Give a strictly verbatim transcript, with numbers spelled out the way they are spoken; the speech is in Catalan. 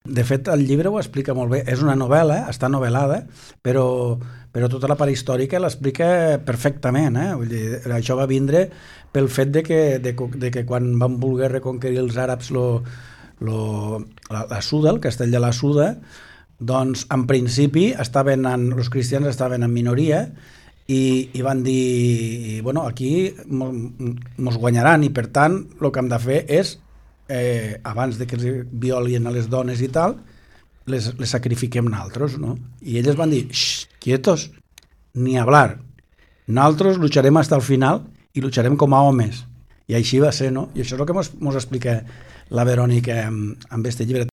De fet, el llibre ho explica molt bé. És una novel·la, està novel·lada, però, però tota la part històrica l'explica perfectament. Eh? Vull dir, això va vindre pel fet de que, de, de que quan van voler reconquerir els àrabs lo, lo, la, la Suda, el castell de la Suda, doncs en principi estaven en, els cristians estaven en minoria i, i van dir, bueno, aquí mos guanyaran i per tant el que hem de fer és Eh, abans de que els violien a les dones i tal, les, les sacrifiquem nosaltres, no? I elles van dir, xxt, quietos, ni hablar, nosaltres lucharem hasta el final i lucharem com a homes. I així va ser, no? I això és el que mos, mos explica la Verònica amb, amb este llibre.